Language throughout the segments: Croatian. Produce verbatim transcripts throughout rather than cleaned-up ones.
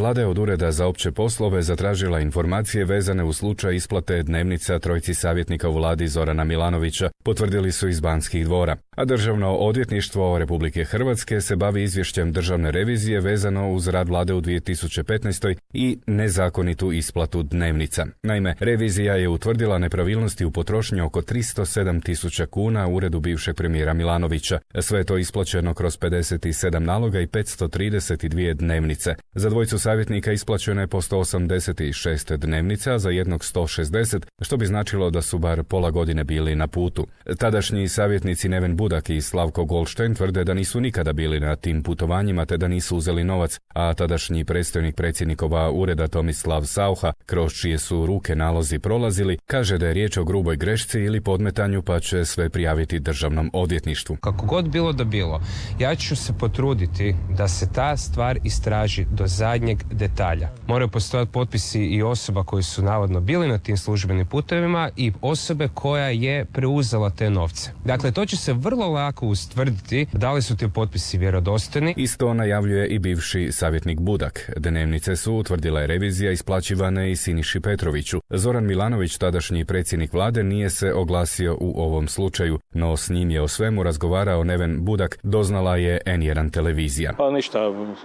Vlada je od Ureda za opće poslove zatražila informacije vezane u slučaj isplate dnevnica trojci savjetnika u vladi Zorana Milanovića, potvrdili su iz Banskih dvora. A Državno odvjetništvo Republike Hrvatske se bavi izvješćem državne revizije vezano uz rad vlade u dvije tisuće petnaestoj. i nezakonitu isplatu dnevnica. Naime, revizija je utvrdila nepravilnosti u potrošnji oko tristo sedam tisuća kuna u uredu bivšeg premijera Milanovića. Sve je to isplaćeno kroz pedeset sedam naloga i petsto trideset dvije dnevnice. Za dvojicu savjetnika isplaćeno je po sto osamdeset šest dnevnica, za jednog sto šezdeset, što bi značilo da su bar pola godine bili na putu. Tadašnji savjetnici Neven Budak i Slavko Goldstein tvrde da nisu nikada bili na tim putovanjima te da nisu uzeli novac, a tadašnji predstojnik predsjednikova ureda Tomislav Saucha, kroz čije su ruke nalozi prolazili, kaže da je riječ o gruboj grešci ili podmetanju pa će sve prijaviti državnom odvjetništvu. Kako god bilo da bilo, ja ću se potruditi da se ta stvar istraži do zadnjeg detalja. Moraju postojati potpisi i osoba koji su navodno bili na tim službenim putevima i osobe koja je preuzela te novce. Dakle, to će se vrlo lako ustvrditi da li su ti potpisi vjerodostojni. Isto najavljuje i bivši savjetnik Budak. Dnevnice su, utvrdila je revizija, isplaćivane i Siniši Petroviću. Zoran Milanović, tadašnji predsjednik vlade, nije se oglasio u ovom slučaju, no s njim je o svemu razgovarao Neven Budak, doznala je en jedan televizija. Pa ništa,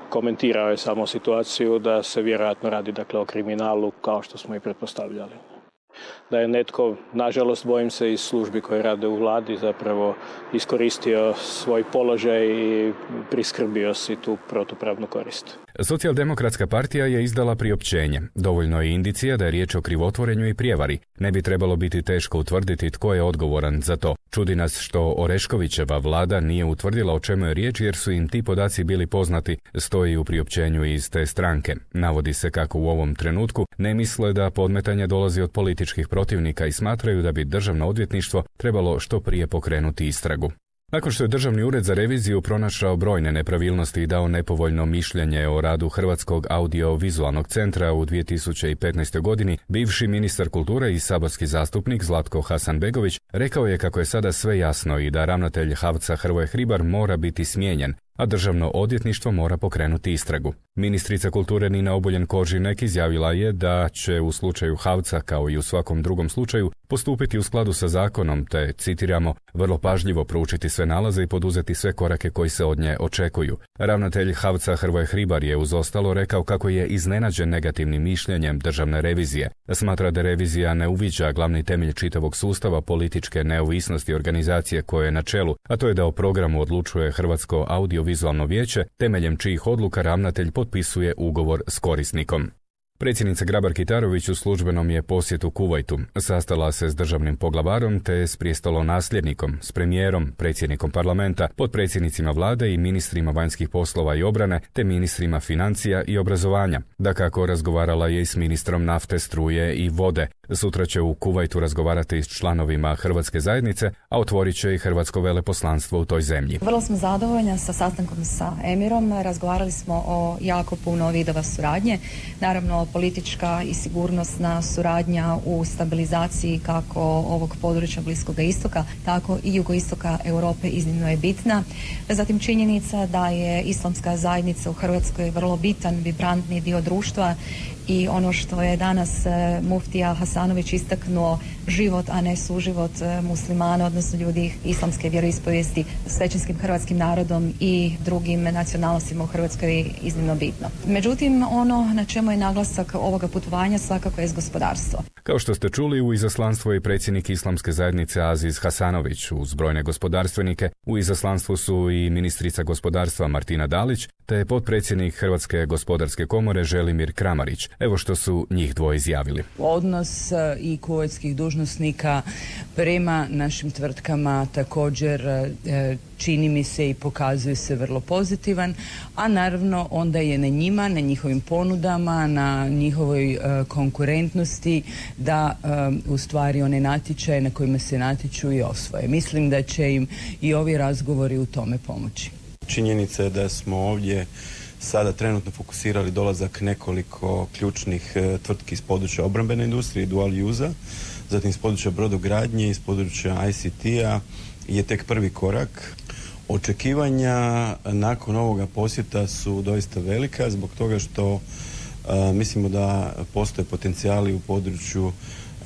komentirao je samo situaciju da se vjerojatno radi dakle o kriminalu kao što smo i pretpostavljali. Da je netko, nažalost bojim se iz službi koje rade u vladi, zapravo iskoristio svoj položaj i priskrbio si tu protupravnu korist. Socijaldemokratska partija je izdala priopćenje. Dovoljno je indicija da je riječ o krivotvorenju i prijevari. Ne bi trebalo biti teško utvrditi tko je odgovoran za to. Čudi nas što Oreškovićeva vlada nije utvrdila o čemu je riječ jer su im ti podaci bili poznati, stoji u priopćenju iz te stranke. Navodi se kako u ovom trenutku ne misle da podmetanje dolazi od političkih protivnika i smatraju da bi državno odvjetništvo trebalo što prije pokrenuti istragu. Nakon što je Državni ured za reviziju pronašao brojne nepravilnosti i dao nepovoljno mišljenje o radu Hrvatskog audio-vizualnog centra u dvije tisuće petnaestoj. godini, bivši ministar kulture i saborski zastupnik Zlatko Hasanbegović rekao je kako je sada sve jasno i da ravnatelj HAVC-a Hrvoje Hribar mora biti smijenjen, a Državno odvjetništvo mora pokrenuti istragu. Ministrica kulture Nina Obuljen Koržinek izjavila je da će u slučaju HAVC-a kao i u svakom drugom slučaju postupiti u skladu sa zakonom te, citiramo, vrlo pažljivo proučiti sve nalaze i poduzeti sve korake koji se od nje očekuju. Ravnatelj HAVC-a Hrvoje Hribar je uz ostalo rekao kako je iznenađen negativnim mišljenjem državne revizije. Smatra da revizija ne uviđa glavni temelj čitavog sustava političke neovisnosti organizacije koje je na čelu, a to je da o programu odlučuje Hrvatsko audio-vizualno vijeće, temeljem čijih odluka ravnatelj potpisuje ugovor s korisnikom. Predsjednica Grabar-Kitarović u službenom je posjetu Kuvajtu. Sastala se s državnim poglavarom te s prijestolonasljednikom, s premijerom, predsjednikom parlamenta, potpredsjednicima vlade i ministrima vanjskih poslova i obrane, te ministrima financija i obrazovanja. Dakako, razgovarala je i s ministrom nafte, struje i vode. Sutra će u Kuvajtu razgovarati s članovima Hrvatske zajednice, a otvorit će i Hrvatsko veleposlanstvo u toj zemlji. Vrlo smo zadovoljni sa sastankom sa emirom. Razgovarali smo o jako puno vidova suradnje. Naravno, politička i sigurnosna suradnja u stabilizaciji kako ovog područja Bliskoga istoka, tako i jugoistoka Europe iznimno je bitna. Zatim činjenica da je islamska zajednica u Hrvatskoj vrlo bitan, vibrantni dio društva i ono što je danas muftija Hasanović istaknuo, život, a ne suživot muslimana, odnosno ljudi islamske vjeroispovijesti s većinskim hrvatskim narodom i drugim nacionalnostima u Hrvatskoj je iznimno bitno. Međutim, ono na čemu je naglasak ovoga putovanja svakako je gospodarstvo. Kao što ste čuli, u izaslanstvu je predsjednik islamske zajednice Aziz Hasanović uz brojne gospodarstvenike. U izaslanstvu su i ministrica gospodarstva Martina Dalić, te potpredsjednik Hrvatske gospodarske komore Želimir Kramarić. Evo što su njih dvoje izjavili. Odnos i kuvajtskih dužnosnika prema našim tvrtkama također čini mi se i pokazuje se vrlo pozitivan, a naravno onda je na njima, na njihovim ponudama, na njihovoj konkurentnosti da u stvari one natječaje na kojima se natječu i osvoje. Mislim da će im i ovi razgovori u tome pomoći. Činjenica je da smo ovdje sada trenutno fokusirali dolazak nekoliko ključnih tvrtki iz područja obrambene industrije, dual use-a, zatim iz područja brodogradnje, iz područja I C T-a je tek prvi korak. Očekivanja nakon ovoga posjeta su doista velika zbog toga što Mislimo da postoje potencijali u području,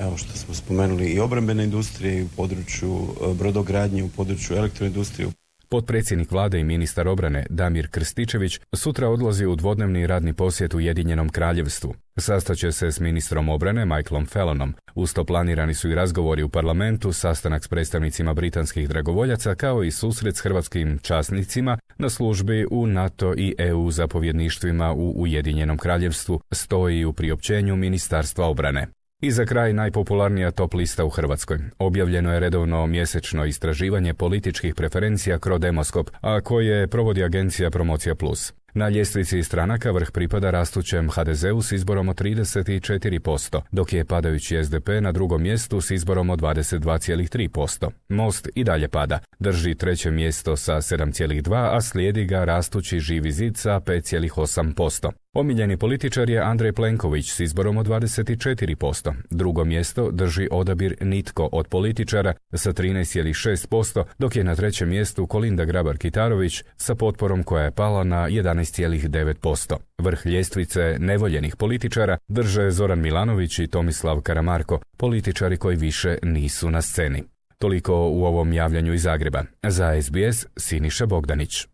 evo što smo spomenuli, i obrambene industrije, i u području brodogradnje, u području elektroindustrije. Potpredsjednik vlade i ministar obrane Damir Krstičević sutra odlazi u dvodnevni radni posjet Ujedinjenom kraljevstvu. Sastaće se s ministrom obrane Michaelom Fallonom. Uz to planirani su i razgovori u parlamentu, sastanak s predstavnicima britanskih dragovoljaca, kao i susret s hrvatskim časnicima na službi u NATO i E U zapovjedništvima u Ujedinjenom kraljevstvu, stoji u priopćenju Ministarstva obrane. I za kraj najpopularnija top lista u Hrvatskoj. Objavljeno je redovno mjesečno istraživanje političkih preferencija Crodemoskop, a koje provodi agencija Promocija plus. Na ljestvici stranaka vrh pripada rastućem ha de zeu s izborom od trideset četiri posto, dok je padajući es de pe na drugom mjestu s izborom od dvadeset dva zarez tri posto. Most i dalje pada, drži treće mjesto sa sedam zarez dva, a slijedi ga rastući Živi zid sa pet zarez osam posto. Omiljeni političar je Andrej Plenković s izborom od dvadeset četiri posto. Drugo mjesto drži odabir Nitko od političara sa trinaest zarez šest posto, dok je na trećem mjestu Kolinda Grabar-Kitarović sa potporom koja je pala na jedanaest zarez devet posto. Vrh ljestvice nevoljenih političara drže Zoran Milanović i Tomislav Karamarko, političari koji više nisu na sceni. Toliko u ovom javljanju iz Zagreba. Za es be es Siniša Bogdanić.